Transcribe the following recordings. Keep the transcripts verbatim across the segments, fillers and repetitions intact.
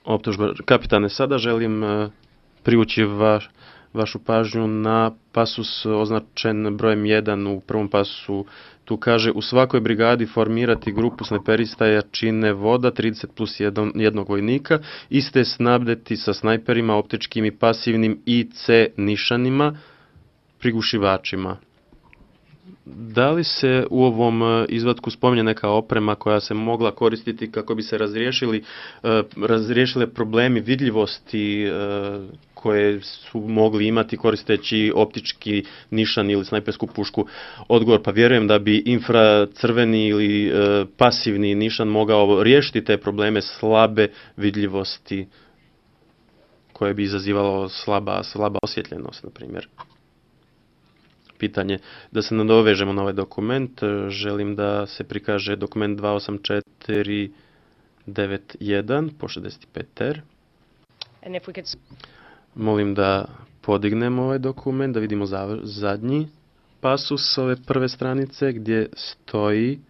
Optužba. Kapitane, sada želim uh, privući vaš, vašu pažnju na pasus označen brojem jedan u prvom pasusu. Tu kaže, u svakoj brigadi formirati grupu snajperista jačine voda, trideset plus jedan, jednog vojnika, iste snabdeti sa snajperima, optičkim i pasivnim I C nišanima, prigušivačima. Da li se u ovom izvatku spominje neka oprema koja se mogla koristiti kako bi se razriješili, razriješile problemi vidljivosti koje su mogli imati koristeći optički nišan ili snajpersku pušku? Odgovor, pa vjerujem da bi infracrveni ili pasivni nišan mogao riješiti te probleme slabe vidljivosti koje bi izazivalo slaba, slaba osvjetljenost, na primjer. Pitanje. Da se nadovežemo na ovaj dokument, želim da se prikaže dokument dva osam četiri devet jedan po šezdeset pet R. Could... Molim da podignemo ovaj dokument, da vidimo zadnji pasus ove prve stranice gdje stoji,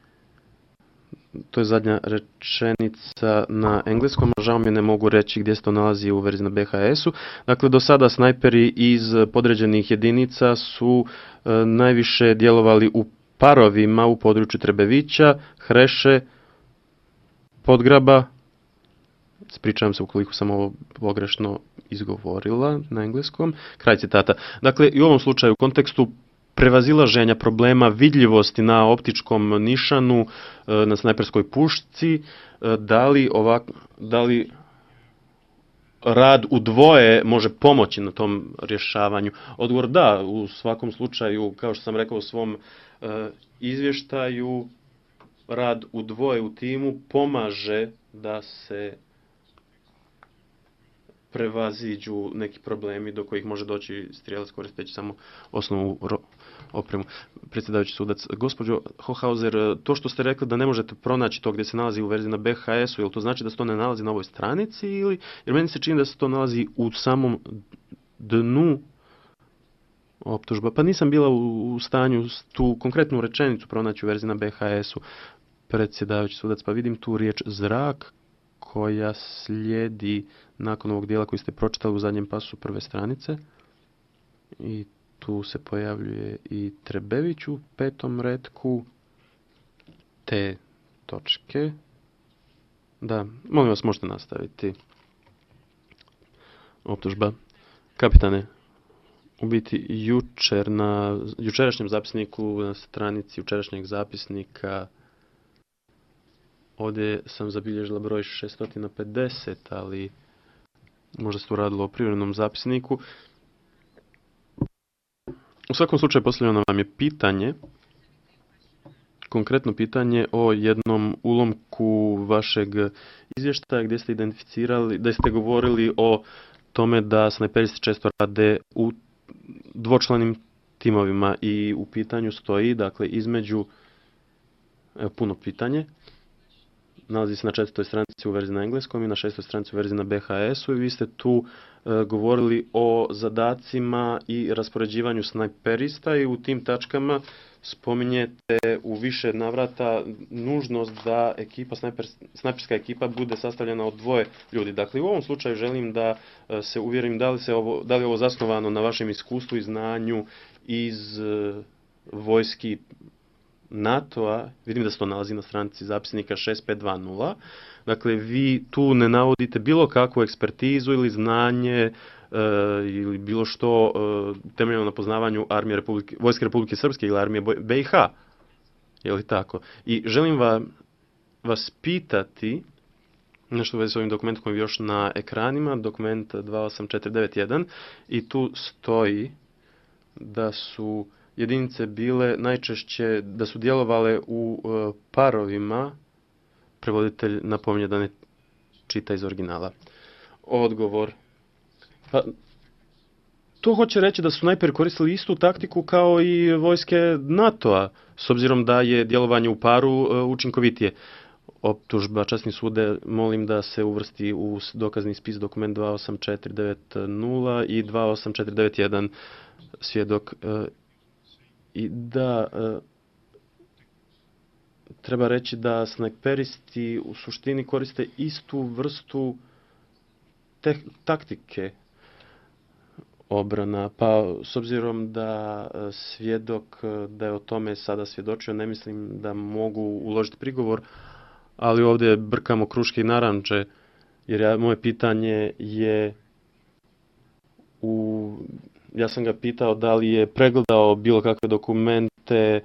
to je zadnja rečenica na engleskom, a žao mi ne mogu reći gdje se to nalazi u verziji na B H S-u. Dakle, do sada snajperi iz podređenih jedinica su e, najviše djelovali u parovima u području Trebevića, Hreše, Podgraba, ispričavam se ukoliko sam ovo pogrešno izgovorila na engleskom, kraj citata. Dakle, i u ovom slučaju u kontekstu prevazilaženja problema vidljivosti na optičkom nišanu, na snajperskoj pušci, da li, ovak, da li rad u dvoje može pomoći na tom rješavanju? Odgovor da, u svakom slučaju, kao što sam rekao u svom uh, izvještaju, rad u dvoje u timu pomaže da se prevaziđu neki problemi do kojih može doći strijelac koristeći samo osnovnu opremu. Predsjedavajući sudac, gospođo Hohauser, to što ste rekli da ne možete pronaći to gdje se nalazi u verziji na B H S-u, jel to znači da se to ne nalazi na ovoj stranici ili, jer meni se čini da se to nalazi u samom dnu optužba. Pa nisam bila u, u stanju tu konkretnu rečenicu pronaći u verziji na B H S-u. Predsjedavajući sudac, pa vidim tu riječ zrak koja slijedi nakon ovog dijela koji ste pročitali u zadnjem pasu prve stranice. I tu se pojavljuje i Trebević u petom retku. Te točke. Da, molim vas, možete nastaviti. Optužba. Kapitane, u biti jučer na jučerašnjem zapisniku, na stranici jučerašnjeg zapisnika, ovdje sam zabilježila broj šesto pedeset, ali možda se tu radilo o privremenom zapisniku. U svakom slučaju postavljeno vam je pitanje, konkretno pitanje o jednom ulomku vašeg izvještaja gdje ste identificirali, da ste govorili o tome da snajperisti često rade u dvočlanim timovima i u pitanju stoji, dakle, između, evo, puno pitanje, nalazi se na četvrtoj stranici u verziji na engleskom i na šestoj stranici u verziji na B H S-u i vi ste tu e, govorili o zadacima i raspoređivanju snajperista i u tim tačkama spominjete u više navrata nužnost da ekipa, snajper, snajperska ekipa bude sastavljena od dvoje ljudi. Dakle, u ovom slučaju želim da e, se uvjerim da li, se ovo, da li je ovo zasnovano na vašem iskustvu i znanju iz e, vojski NATO-a, vidim da se to nalazi na stranici zapisnika šest pet dva nula. Dakle, vi tu ne navodite bilo kakvu ekspertizu ili znanje e, ili bilo što e, temeljeno na poznavanju armije Republike, Vojske Republike Srpske ili armije B i H. Je li tako? I želim va, vas pitati nešto u vezi s ovim dokumentom koji je još na ekranima, dokument dva osam četiri devet jedan, i tu stoji da su jedinice bile najčešće, da su djelovale u uh, parovima. Prevoditelj napominje da ne čita iz originala. Odgovor. Pa, to hoće reći da su snajperi koristili istu taktiku kao i vojske NATO-a, s obzirom da je djelovanje u paru uh, učinkovitije. Optužba, časni sude, molim da se uvrsti u dokazni spis dokument dva osam četiri devet nula i dva osam četiri devet jedan, svjedok. Uh, I da, e, treba reći da snajperisti u suštini koriste istu vrstu te, taktike obrana. Pa s obzirom da svjedok da je o tome sada svjedočio, ne mislim da mogu uložiti prigovor, ali ovdje brkamo kruške i naranče, jer ja, moje pitanje je u, ja sam ga pitao da li je pregledao bilo kakve dokumente, e,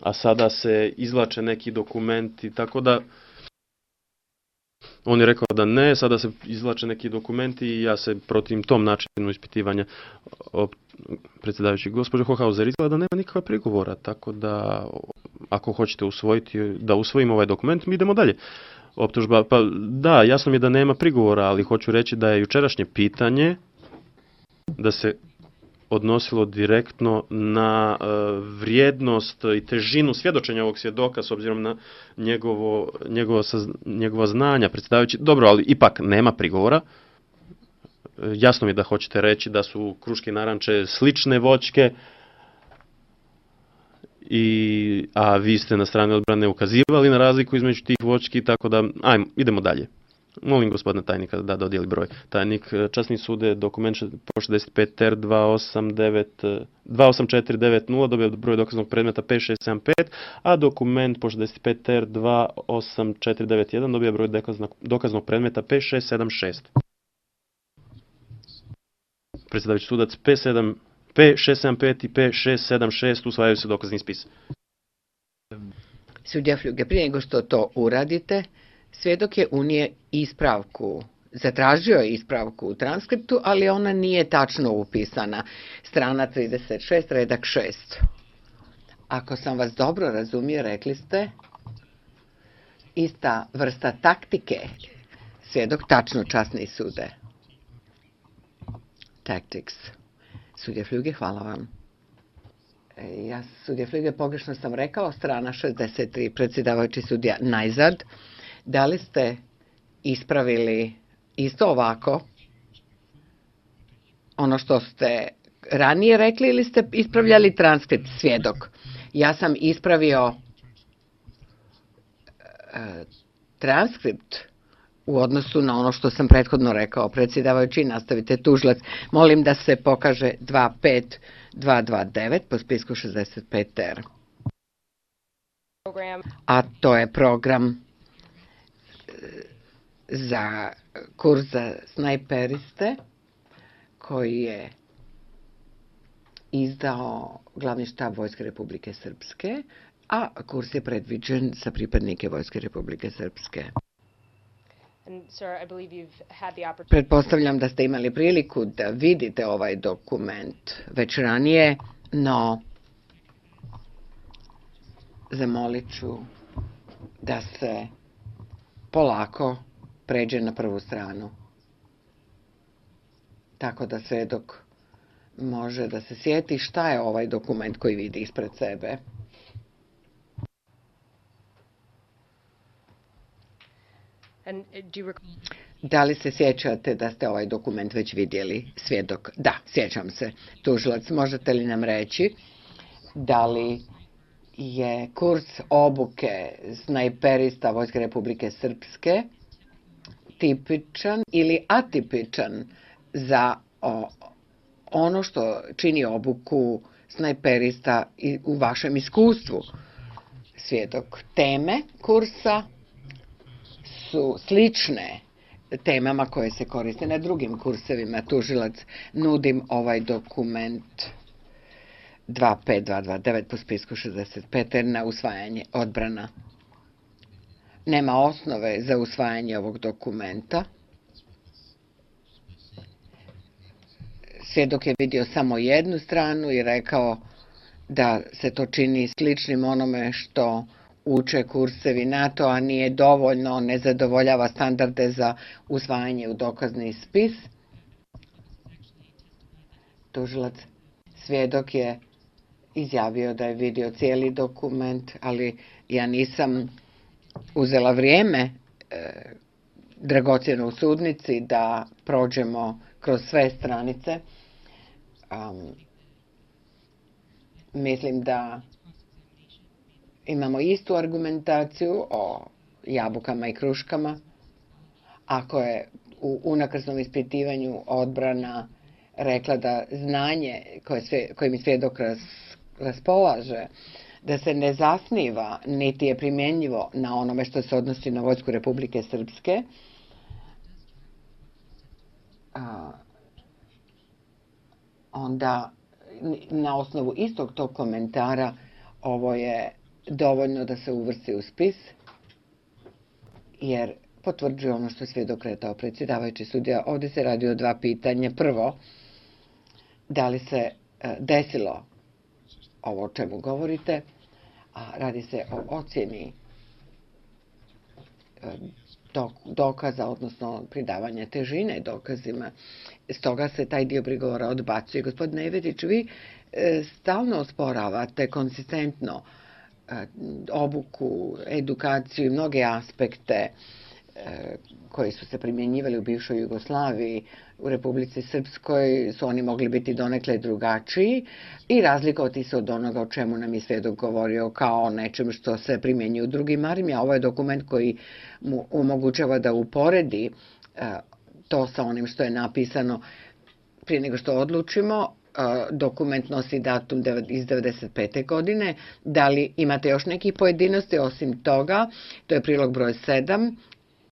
a sada se izvlače neki dokumenti, tako da on je rekao da ne, sada se izvlače neki dokumenti i ja se protivim tom načinu ispitivanja. O, predsjedavajući, gospođo Hohauser, izgleda da nema nikakva prigovora, tako da ako hoćete usvojiti, da usvojimo ovaj dokument, mi idemo dalje. Optužba, pa da, jasno mi je da nema prigovora, ali hoću reći da je jučerašnje pitanje da se odnosilo direktno na uh, vrijednost i težinu svjedočenja ovog svjedoka s obzirom na njegovo, njegovo saz, njegova znanja, predsjedavajući. Dobro, ali ipak nema prigovora. Jasno mi je da hoćete reći da su kruške i naranče slične voćke, i, a vi ste na strani odbrane ukazivali na razliku između tih voćki, tako da, ajmo, idemo dalje. Molim gospodina tajnika da dodijeli broj. Tajnik, časni sude, dokument po šezdeset pet R dva osam četiri devet nula dobio broj dokaznog predmeta pet šest sedam pet, a dokument po šezdeset pet R dva osam četiri devet jedan dobio broj dokaznog predmeta pet šest sedam šest. Predsjedavajući sudac P šest sedam pet i P šest sedam šest usvajaju se dokazni spis. Sudija Fljuge, prije nego što to uradite, svjedok je unije ispravku, zatražio je ispravku u transkriptu, ali ona nije tačno upisana. Strana trideset šest, redak šest. Ako sam vas dobro razumio, rekli ste ista vrsta taktike. Svjedok, tačno, časni sude. Tactics. Sudija Fljuge, hvala vam. Ja, sudija Fljuge, pogrešno sam rekao, strana šezdeset tri, predsjedavajući sudija Najzad. Da li ste ispravili isto ovako ono što ste ranije rekli ili ste ispravljali transkript, svjedok? Ja sam ispravio e, transkript u odnosu na ono što sam prethodno rekao. Predsjedavajući, nastavite, tužilac. Molim da se pokaže dva pet dva dva devet po spisku šezdeset pet R. A to je program za kurs za snajperiste koji je izdao Glavni štab Vojske Republike Srpske, a kurs je predviđen za pripadnike Vojske Republike Srpske. Pretpostavljam da ste imali priliku da vidite ovaj dokument već ranije, no zamolit ću da se polako pređe na prvu stranu. Tako da svjedok može da se sjeti šta je ovaj dokument koji vidi ispred sebe. Da li se sjećate da ste ovaj dokument već vidjeli, svjedok? Da, sjećam se. Tužilac, možete li nam reći da li je kurs obuke snajperista Vojske Republike Srpske tipičan ili atipičan za o, ono što čini obuku snajperista i u vašem iskustvu? Svjedok, teme kursa su slične temama koje se koriste na drugim kursevima. Tužilac, nudim ovaj dokument dva pet dva dva devet po spisku šezdeset pet na usvajanje, odbrana. Nema osnove za usvajanje ovog dokumenta. Svjedok je vidio samo jednu stranu i rekao da se to čini sličnim onome što uče kursevi NATO, a nije dovoljno, ne zadovoljava standarde za usvajanje u dokazni spis. Tužilac, svjedok je izjavio da je vidio cijeli dokument, ali ja nisam uzela vrijeme e, dragocjeno u sudnici da prođemo kroz sve stranice. Um, mislim da imamo istu argumentaciju o jabukama i kruškama. Ako je u unakrsnom ispitivanju odbrana rekla da znanje koje sve, kojim svjedok ras, raspolaže, da se ne zasniva, niti je primjenjivo na onome što se odnosi na Vojsku Republike Srpske, a, onda na osnovu istog tog komentara ovo je dovoljno da se uvrsti u spis, jer potvrđuje ono što je svjedok rekao predsjedavajući sudija. Ovdje se radi o dva pitanja. Prvo, da li se desilo ovo o čemu govorite, a radi se o ocjeni dokaza, odnosno pridavanja težine dokazima. Stoga se taj dio prigovora odbacuje. Gospodine Nevedić, vi stalno osporavate konsistentno obuku, edukaciju i mnoge aspekte koji su se primjenjivali u bivšoj Jugoslaviji. U Republici Srpskoj su oni mogli biti donekle drugačiji i razlikovati se od onoga o čemu nam je svjedok govorio kao o nečem što se primjenjuje u drugim armijama. Ovo je dokument koji mu omogućava da uporedi to sa onim što je napisano prije nego što odlučimo. Dokument nosi datum iz devedeset pete godine. Da li imate još neki pojedinosti osim toga? To je prilog broj sedam.